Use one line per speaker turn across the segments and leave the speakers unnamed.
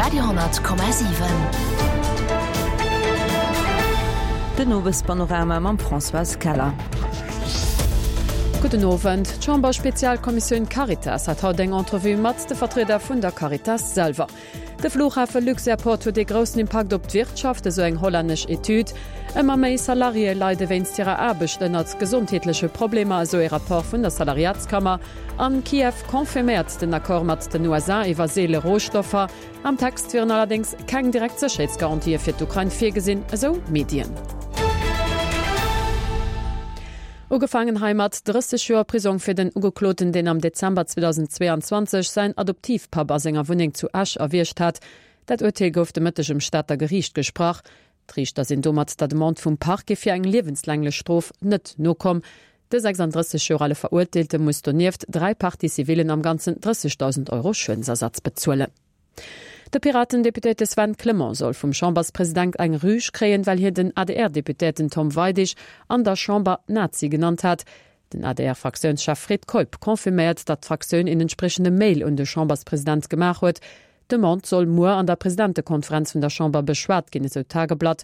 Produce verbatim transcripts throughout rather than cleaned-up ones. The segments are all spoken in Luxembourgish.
Radio honnert Komma siwen.
Den Owespanorama mam Françoise Keller.
Gudden Owend. D'Chamber-Spezialkommissioun Caritas hat haut eng Entrevue mat de Vertrieder vun der Caritas selwer. De Flughafe Luxairport huet ee groussen Impakt op d'Wirtschaft, esou eng hollännesch Etüd. Ëmmer méi Salariéë leide wéinst hirer Aarbecht ënnert gesondheetleche Problemer, esou ee Rapport vun der Salariatskammer. An Kiew confirméiert den Accord mat den U S A iwwer seele Rohstoffer. Am Text wieren allerdéngs keng direkt Sécherheetsgarantië fir d'Ukrain virgesinn, esou Medien. Ugefaangen hei mat drësseg Joer Prisong fir den Ugekloten, deen am Dezember zweedausendzweeanzwanzeg säin Adoptivpapp a senger Wunneng zu Esch erwiergt hat. Dat Urteel gouf de Mëtteg um Stater Geriicht gesprach. D'Riichter sinn domat der Demande vum Parquet fir eng liewenslänglech Strof net nokomm. De sechsanddrësseg Joer ale Verurteelte muss donieft dräi Parties civilen am Ganzen drëssegdausend Euro Schuedensersatz bezuelen. De Piraten-Deputéierte Sven Clement soll vum Chamberspresident eng Rüg kréien, well hien den A D R-Deputéierten Tom Weidig an der Chamber Nazi genannt hat. Den A D R-Fraktiounschef Fred Keup confirméiert, datt d'Fraktioun een entsprechende Mail un de Chamberspresident gemaach huet. D'Demande soll muer an der Presidentekonferenz vun der Chamber beschwat ginn, esou d'Tageblatt.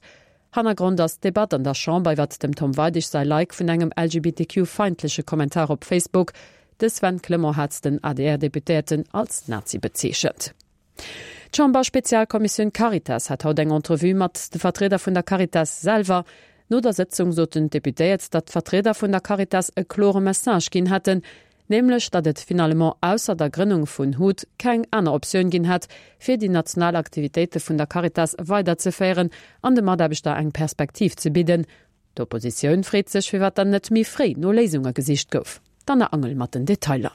Hannergrond ass d'Debatt an der Chamber iwwer dem Tom Weidig säi Like vun engem L G B T Q-feindleche Kommentar op Facebook. De Sven Clement hat den A D R-Deputéierten als Nazi bezeechent. D'Chamber-Spezialkommissioun Caritas hat haut eng Entrevue mat de Vertrieder vun der Caritas selwer. No der Sitzung soten d'Deputéiert, datt d'Vertrieder vun der Caritas e klore Message ginn hätten, nämlech datt et finalement ausser der Grënnung vun H U T keng aner Optioun ginn hätt, fir déi national Aktivitéite vun der Caritas weiderzeféieren an de Mataarbechter eng Perspektiv ze bidden. D'Oppositioun freet sech, firwat dann net méi fréi no Léisunge gesicht gouf. D'Anna Angel mat den Detailer.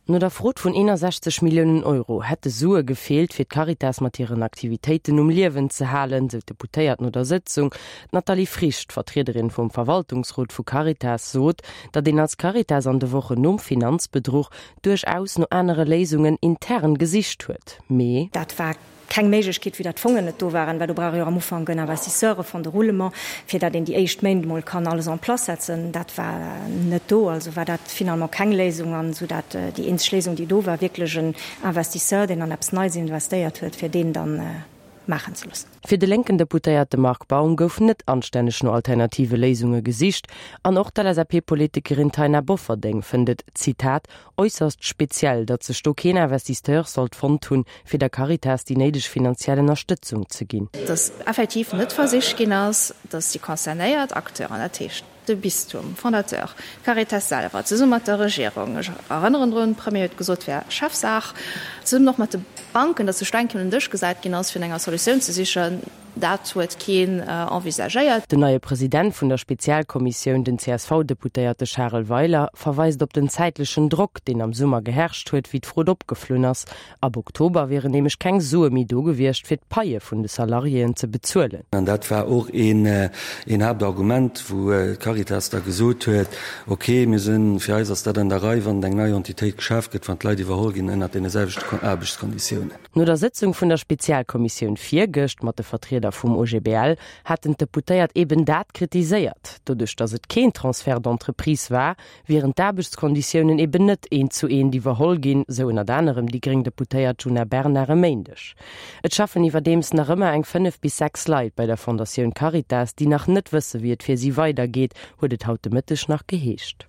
No der Frot vun eenundsechzeg Milliounen Euro hätte Sue gefehlt, fir d'Caritas mat hiren Aktivitéiten um Liewen ze halen, sou d'Deputéiert no der Sitzung. D'Nathalie Frisch, d'Vertriederin vum Verwaltungsrot vu Caritas, sot, datt een als Caritas an de Wochen nom Finanzbedruch duerchaus no anere Léisungen intern gesicht huet. Mee
Dat war keng Méiglechkeet, wéi dat Fongen net do waren, well do brauch jo am Ufank en Investisseur, e Fonds de roulement, fir dat een déi éischt Méint mol kann alles en place setzen. Dat war net do, also war dat finalement keng Léisung an so dat, äh, déi eenzeg Léisung, déi do war, wierklech en Investisseur, deen an eppes Neues investéiert huet, fir deen dann, äh, maachen ze loossen.
Fir de linken Deputéierte Marc Baum gouf net anstänneg no alternative Léisunge gesicht an och d'L S A P-Politikerin Taina Bofferding fënnt et, Zitat, äusserst speziell, datt sech do keen Investisseur sollt fonnt hunn, fir der Caritas déi néideg finanziell Ënnerstëtzung ze ginn.
Dass effektiv net versicht ginn ass, dass déi concernéiert Acteuren, dat heescht de Bistum, Fondateur, Caritas selwer, zesumme mat der Regierung, ech erënneren drun, Premier huet gesot, wär Chefsaach, zesummen och mat de Banken, dass sech eng Kéier un den Dësch gesat ginn ass, fir enger Solutioun ze sichen, dat huet keen, äh, envisagéiert.
Den neie President vun der Spezialkommissioun, den C S V-Deputéierte Charel Weiler, verweist op den zeitlechen Drock, deen am Summer geherrscht huet, wéi d'Frot opgeflunn ass. Ab Oktober wären nämlech keng Sue méi do gewiescht, fir d'Paie vun de Salariéen ze bezuelen.
An dat war och een, äh, een Hauptargument, wou, äh, Caritas da gesot huet, okay, mir sinn, fir eis ass dat an der Rei, wann eng neie Entitéit geschafft gëtt, wann d'Leit iwwerholl ginn ënner deene selwechten Kon-, Aarbechtskonditiounen.
No der Sitzung vun der Spezialkommissioun virgëscht mat de Vertrieder vum O G B L hatten d'Deputéiert eben dat kritiséiert. Doduerch, datt et keen Transfert d'entreprise war, wären d'Aarbechtskonditiounen eben net een zu een iwwerholl ginn, sou ënner anerem déi gréng Deputéiert Djuna Bernard e Méindeg. Et schaffen iwwerdeems nach ëmmer eng fënnef bis sechs Leit bei der Fondatioun Caritas, déi nach net wësse, wéi et fir si weidergeet, huet et haut de Mëtteg nach geheescht.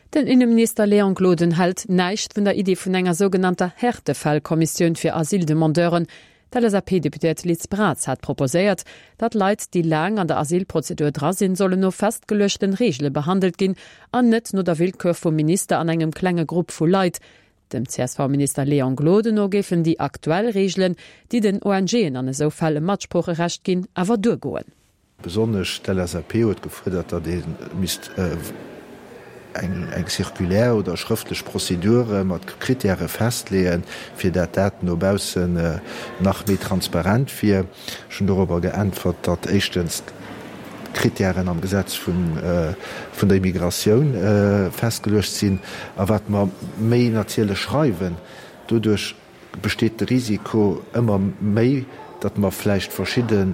Den Innenminister Léon Gloden hält näischt vun der Idee vun enger sogenannter Härtefallkommissioun fir Asyldemandeuren. D'L S A P-Deputéiert Liz Braz hat proposéiert, datt Leit, déi laang an der Asylprozedur dra sinn, sollen no festgeluechten Reegele behandelt ginn an net no der Willkür vum Minister an engem klenge Grupp vu Leit. Dem C S V-Minister Léon Gloden no géifen déi aktuell Reegelen, déi den O N G'en an esou Fäll e Matsprocherecht ginn, awer duergoen.
Besonnesch d'L S A P huet gefuerdert, datt ee misst, äh, eng, eng Circulaire oder schrëftlech Prozedure mat Kritäre festleeën, fir dat dat no baussen, äh, nach méi transparent wier. Ech hunn darüber geäntwert, datt éischtens Kritären am Gesetz vun, äh, vun der Immigratioun, äh, festgeluecht sinn, a wat mer méi natierlech schreiwen, doduerch besteet de Risiko ëmmer méi, datt mer vläicht verschidde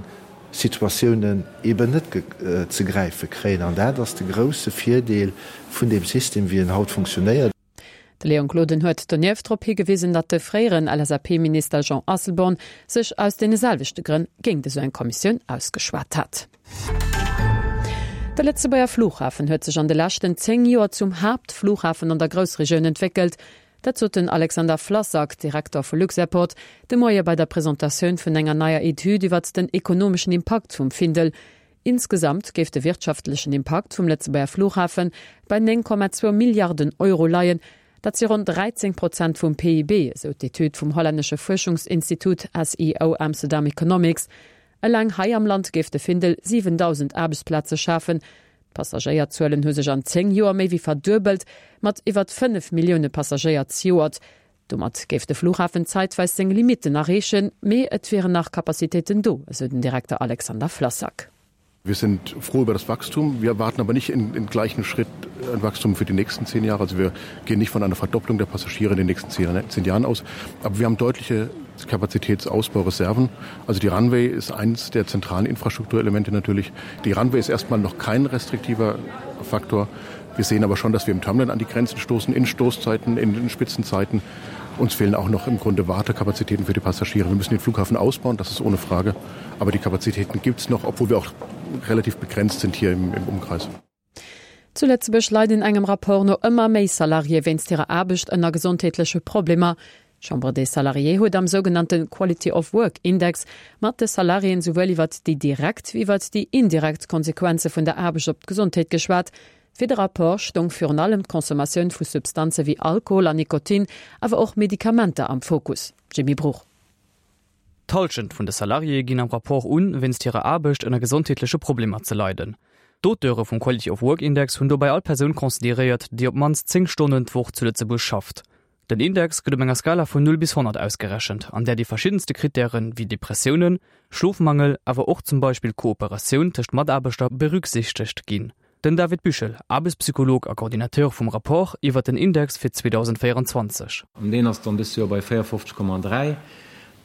Situatiounen eben net ge-, äh, ze gräife kréien. An dat ass de grousse Virdeel vun dem System, wie en haut funktionéiert.
De Léon Gloden huet donieft drop higewisen, datt de fréieren LSAP-Minister Jean Asselborn sech aus deene selwechte Grënn géint esou eng Kommissioun ausgeschwat hat. De Lëtzebuerger Flughafen huet sech an de leschten zéng Joer zum Haaptflughafen an der Groussregioun entwéckelt. Dat sot den Alexander Flassak, Direkter vu Luxairport, de Moie bei der Presentatioun vun enger neier Etüd iwwert den ekonomeschen Impakt vum Findel. Insgesamt géif de wirtschaftlechen Impakt vum Lëtzebuerger Flughafen bei néng Komma zwou Milliarden Euro leien, dat si ronn dräizéng Prozent vum P I B, esou d'Etüd vum hollännesche Fuerschungsinstitut S E O Amsterdam Economics. Eleng hei am Land géif de Findel siwendausend Aarbechtsplaze schafen. D'Passagéierzuelen hu sech an zéng Joer méi wéi verduebelt, mat iwwert fënnef Millioune Passagéier zejoert. Domat géif de Flughafen zäitweis seng Limitten erreechen, mee et wieren nach Kapazitéiten do, esou den Direkter Alexander Flassak.
Wir sind froh über das Wachstum. Wir erwarten aber nicht in, in gleichen Schritt ein Wachstum für die nächsten zehn Jahre. Also wir gehen nicht von einer Verdopplung der Passagiere in den nächsten zehn, zehn Jahren aus. Aber wir haben deutliche Kapazitätsausbaureserven. Also die Runway ist eins der zentralen Infrastrukturelemente natürlich. Die Runway ist erstmal noch kein restriktiver Faktor. Wir sehen aber schon, dass wir im Terminal an die Grenzen stoßen, in Stoßzeiten, in den Spitzenzeiten. Uns fehlen auch noch im Grunde Wartekapazitäten für die Passagiere. Wir müssen den Flughafen ausbauen, das ist ohne Frage. Aber die Kapazitäten gibt es noch, obwohl wir auch relativ begrenzt sind hier im, im Umkreis.
Zu Lëtzebuerg leiden engem Rapport no ëmmer méi Salariéë wéinst hirer Aarbecht ënner gesondheetleche Problemer. D'Chambre des Salariés huet am sougenannte Quality of Work Index mat de Salariéen souwuel iwwert déi direkt wéi iwwert déi indirekt Konsequenze vun der Aarbecht op d'Gesondheet geschwat. Fir de Rapport stoung virun allem d'Consommatioun vu Substanze wéi Alkohol an Nikotin, awer och Medikamenter am Fokus. Jimmy Bruch.
D'Hallschent vun de Salariéë ginn am Rapport un, wéinst hirer Aarbecht ënner gesondheetleche Problemer ze leiden. D'Auteure vum Quality of Work Index hunn dobäi all Persoun consideréiert, déi op d'mannst zéng Stonnen d'Woch zu Lëtzebuerg schafft. Den Index gëtt op enger Skala vun null bis honnert ausgerechent, an där déi verschiddenste Krittären, wéi Depressiounen, Schlofmangel, awer och zum Beispill Kooperatioun tëscht Mataarbechter berücksichtegt ginn. Den David Büchel, Aarbechtspsycholog a Coordinateur vum Rapport, iwwer den Index fir zweedausendvéierenzwanzeg.
An deen ass dann dëst Joer bei véierundfofzeg Komma dräi.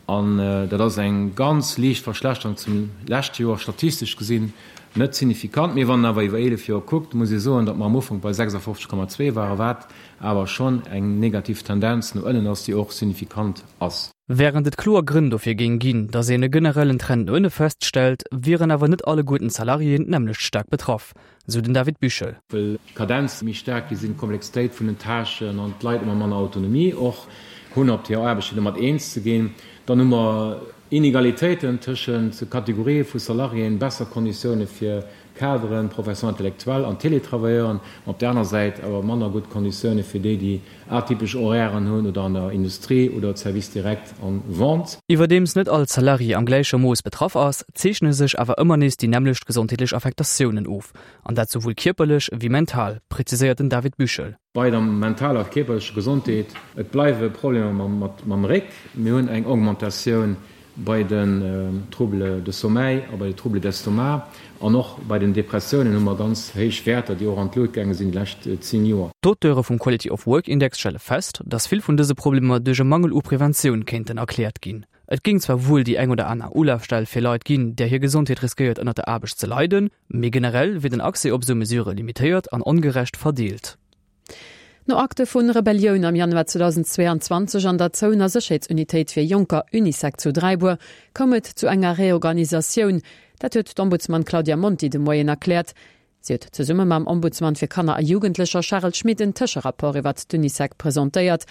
An dat ass eng ganz liicht Verschlechterung zum leschte Joer, statistesch gesinn net signifikant. Mee wann een awer iwwer eelef Joer kuckt, muss ee soen, datt mer am Ufank bei sechsundfofzeg Komma zwee waren, wat awer schonn eng negativ Tendenz no ënnen ass, déi och signifikant ass.
Wärend et kloer Grënn dofir géing ginn, datt een e generellen Trend no ënne feststellt, wieren awer net alleguerten d'Salariéen d'nämmlecht staark betraff, sou den David Büchel.
Well d'Kadenze méi staark gi sinn, d'Komplexitéit vun den Tâchen an d'Leit ëmmer manner Autonomie och hunn op hirer Aarbecht, fir domat eens ze ginn. Dann hu mer Inegalitéiten tëschent Kategorië vu Salariéen, besser Konditioune fir Kaderen, Professions intellectuelles an Télétravailleuren, op där aner Säit awer manner gutt Konditioune fir déi, déi atypesch Horairen hunn oder an der Industrie oder Service direct an Vente.
Iwwerdeems net all Salarié am gläiche Mooss betraff ass, zeechne sech awer ëmmer nees déi nämmlecht gesondheetlech Affektatiounen of, an dat souwuel kierperlech wéi mental, präziséiert den David Büchel.
Bei der mentaler a kierperlecher Gesondheet, et bleiwe Problemer mam Réck, mir hunn eng Augmentatioun bei den Troubles de sommeil a bei de Troubles d'estomac an och bei den Depressiounen hu mer ganz héich Wäerter, déi och an d'Luucht gaange sinn déi lescht zéng Joer.
D'Auteure vum Quality of Work Index stelle fest, dass vill vun dëse Problemer duerch e Mangel u Preventioun kéinten erkläert ginn. Et géing zwar wuel déi eng oder aner Ulafstell fir Leit ginn, där hir Gesondheet riskéiert ënner der Aarbecht ze leiden, mee generell wier den Accès op esou Mesurë limitéiert an ongerecht verdeelt.
No Akte vun Rebellioun am Januar zweedausendzweeanzwanzeg an der zouener Sécherheetsunitéit fir Jonker Unisec zu Dräibuer koum et zu enger Reorganisatioun. Dat huet d'Ombudsman Claudia Monti de Moien erkläert. Si huet zesumme mam Ombudsman fir Kanner a Jugendlecher Charel Schmit en Tëscherapport iwwert d'Unisec presentéiert.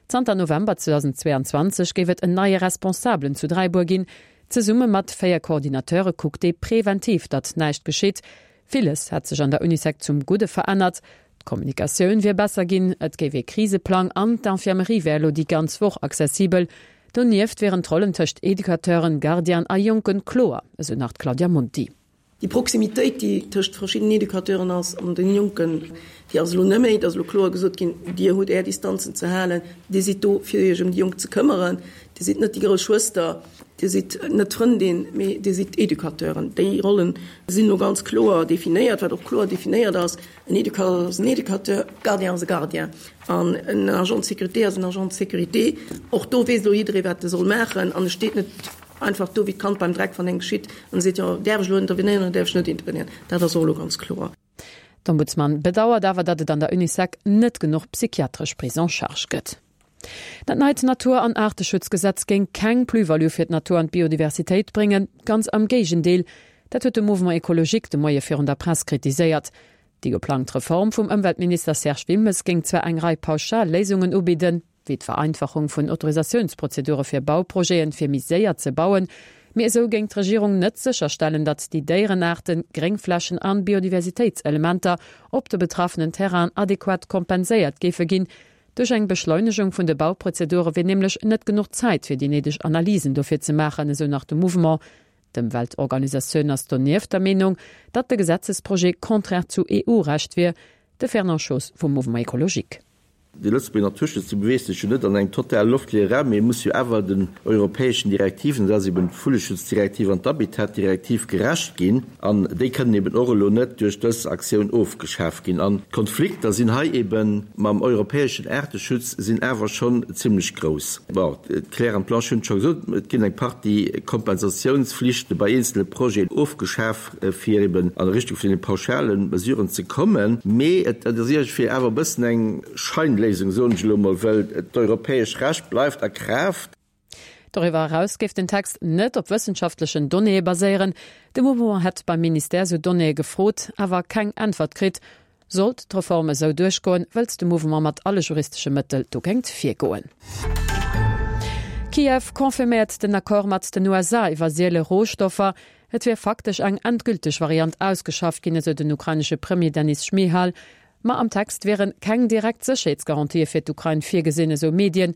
Zanter November zweedausendzweeanzwanzeg géif et en neie Responsabelen zu Dräibuer ginn. Zesumme mat véier Coordinateure kuckt dee preventiv, datt näischt geschitt. Villes hätt sech an der Unisec zum Gudde verännert. D'Kommunikatioun wier besser ginn, et géif ee Kriseplang an d'Infirmerie wär elo déi ganz Woch accessibel. Donieft wieren d'Rollen tëscht Educateuren, Gardienen a Jonken kloer, esou nach d'Claudia Monti.
Déi Proximitéit, déi tëscht verschiddenen Educateuren ass an den Jonken, déi ass elo net méi. Et ass elo kloer gesot ginn, Dir hutt Är Distanzen ze halen, Dir sidd do, fir Iech ëm déi Jonk ze këmmeren, Dir sidd net déi grouss Schwëster, Dir sidd net d'Frëndin, mee Dir sidd d'Educateuren. Déi Rollen sinn elo ganz kloer definéiert. Wat och kloer definéiert ass, En Educateur ass en Educateur, Gardien ass e Gardien an en Agent de sécurité ass en Agent de sécurité. Och do weess elo jidderee, wat e soll maachen an e steet net einfach do wéi d'Kand beim Dreck, wann eng geschitt an seet, jo, däerf ech elo intervenéieren oder däerf ech net intervenéieren. Dat ass och elo ganz kloer.
D'Ombudsman bedauert awer, datt et an der Unisec net genuch psychiatresch Prise en charge gëtt. Dat neit Natur an Aarteschutzgesetz géing keng Plus-value fir d'Natur an d'Biodiversitéit bréngen, ganz am Géigendeel. Dat huet de Mouvement Ecologique de Moie virun der Press kritiséiert. Déi geplangt Reform vum Ëmweltminister Serge Wilmes géing zwar eng Rei pauschal Léisungen ubidden, wéi d'Vereinfachung vun Autorisatiounsprozedure fir Bauprojeten, fir méi séier ze bauen, mee esou géing d'Regierung net sécherstellen, datt déi Déierenaarten, Gréngflächen an Biodiversitéitselementer op de betraffenen Terrainen adequat kompenséiert géife ginn. Duerch eng Beschleunegung vun de Bauprozedure wier nämlech net genuch Zäit fir déi néideg Analysen dofir ze maachen, esou nach de Mouvement. D'Ëmweltorganisatioun ass donieft der Meenung, datt de Gesetzesprojet konträr zu EU-Recht wier. De Fernand Schoos vum Mouvement Ecologique.
De Lëtzebuerger Naturschutz, dee beweegt sech jo net an engem total loftleeë Raum, mee e muss jo awer den europäeschen Direktiven, dat ass eben d'Vulleschutzdirektiv an d'Habitatdirektiv, gerecht ginn. An déi kënnen eben och elo net duerch dës Aktioun ofgeschaf ginn. An d'Konflikter sinn hei eben mam europäeschen Aarteschutz sinn awer schonn zimlech grouss. Bon, d'Claire an d'Blanche hunn et scho gesot, et ginn eng Partie Kompensatiounsflichte bei eenzele Projeten ofgeschaf, fir eben an Richtung vun deene pauschale Mesuren ze kommen. Mee et ass iergendwéi awer e bëssen eng Scheinléisung, soen ech elo mol, well d'europäesch Recht bleift a Kraaft.
Doriwwer eraus géif den Text net op wëssenschaftlechen Donnéeë baséieren. De Mouvement hätt beim Ministère sou Donnéeë gefrot, awer keng Äntwert kritt. Sollt d'Reform esou duerchgoen, wëllt de Mouvement mat alle juristesche Mëttel dogéint virgoen. Kiew confirméiert den Accord mat den U S A iwwer siele Rohstoffer. Et wier faktesch eng endgülteg Variant ausgeschafft ginn, esou den ukrainesche Premier Denys Schmyhal. Ma am Text wiere keng direkt Sécherheetsgarantië fir d'Ukrain virgesinn, esou Medien.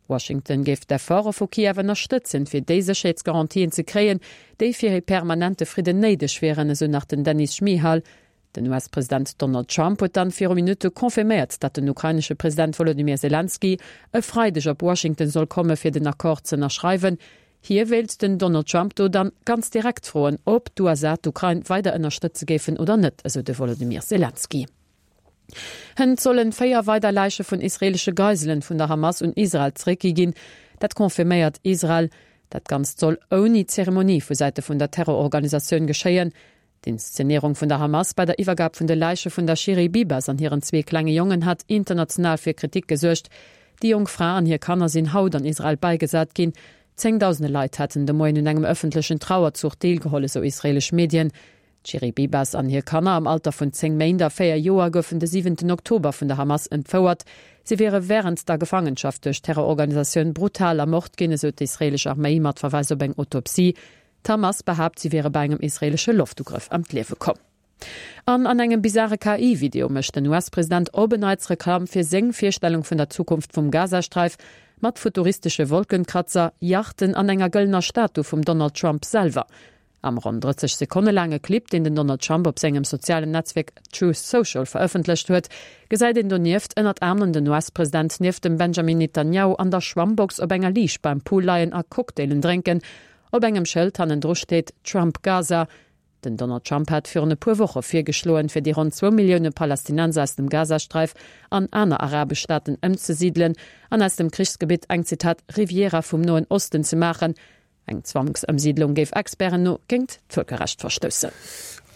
Washington géif d'Efforte vu Kiew ënnerstëtzen, fir déi Sécherheetsgarantien ze kréien, déi fir e permanente Fridden néideg wieren, esou nach den Denys Schmyhal. Den U S-President Donald Trump huet dann viru Minutte confirméiert, datt den ukrainesche President Volodymyr Zelensky e Freideg op Washington soll komme fir den Accord ze ënnerschreiwen. Hie wéilt den Donald Trump do dann ganz direkt froen, ob d'U S A d'Ukrain weider ënnerstëtze géifen oder net, esou de Volodymyr Zelensky. Hënt sollen véier weider Läiche vun israeelesche Geiselen vun der Hamas un Israel zeréckgi ginn. Dat confirméiert Israel. Dat Ganzt soll ouni Zeremonie vu Säite vun der Terrororganisatioun geschéien. D'Inszenéierung vun der Hamas bei der Iwwergab vun de Läiche vun der Shiri Bibas an hiren zwee klenge Jongen hat international fir Kritik gesuergt. Déi jonk Fra an hir Kanner sinn haut an Israel bäigesat ginn. Zéngdausende Leit hätten de Moien un engem ëffentlechen Trauerzuch deelgeholl, esou israeelesch Medien. D'Shiri Bibas an hir Kanner am Alter vun zéng Méint a véier Joer goufen de siwenten Oktober vun der Hamas entfouert. Si wiere wärend der Gefangenschaft duerch d'Terrororganisatioun brutal ermort ginn, esou d'israeelesch Arméi mat Verweis op eng Autopsie. D'Hamas behaapt, si wiere bei engem israeelesche Loftugrëff ëm d'Liewe komm. An an engem bizarre K I-Video mécht den U S-President op en Neits Reklamm fir seng Virstellung vun der Zukunft vum Gazasträif mat futuristesche Wolkenkratzer, Yachten an enger gëllener Statu vum Donald Trump selwer. Am ronn drësseg Sekonne laange Clip, deen den Donald Trump op sengem sozialen Netzwierk Truth Social verëffentlecht huet, gesäit een donieft ënnert anerem den U S-President nieft dem Benjamin Netanyahu an der Schwammbox op enger Liicht beim Pool leien a Cocktailen drénken. Op engem Schëld hannendru steet Trump Gaza. Den Donald Trump hat virun e puer Woche virgeschloen, fir déi ronn zwou Millioune Palästinenser aus dem Gazasträif an aner arabesch Staaten ëmzesidelen an aus dem Krichsgebitt eng Zitat Riviera vum Noen Osten ze maachen. Eng Zwangsëmsiidlung géif Experten no géint d'Vëlkerrecht verstoussen.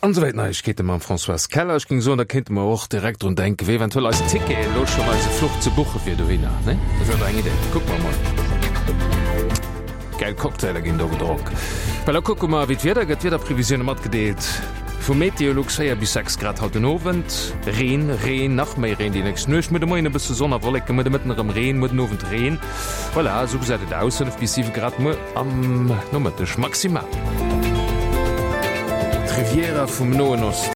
An esouwäit Neiegkeete mam Françoise Keller. Ech géing soen, da kéinte mer och direkt drun denken, fir eventuell eis Ticketen elo schonn eise Fluch ze buche fir dohinner, ne? Dat wär doch eng Idee. Kucke mer mol. Geil Cocktailer ginn do gedronk. Well da kucke mer, wéi d'Wieder gëtt. D'Wiederprevisioune matgedeelt vu Meteolux, véier bis sechs Grad haut den Owend. Reen, Reen, nach méi Reen déi nächst Nuecht. Muer de Moien e bësse Sonn a Wolleken, muer de Mëtten erëm Reen, muer den Owend Reen. Voilà, esou gesäit et aus. Fënnef bis siwe Grad muer am Nomëtteg maximal. D'Riviera vum Noen Osten.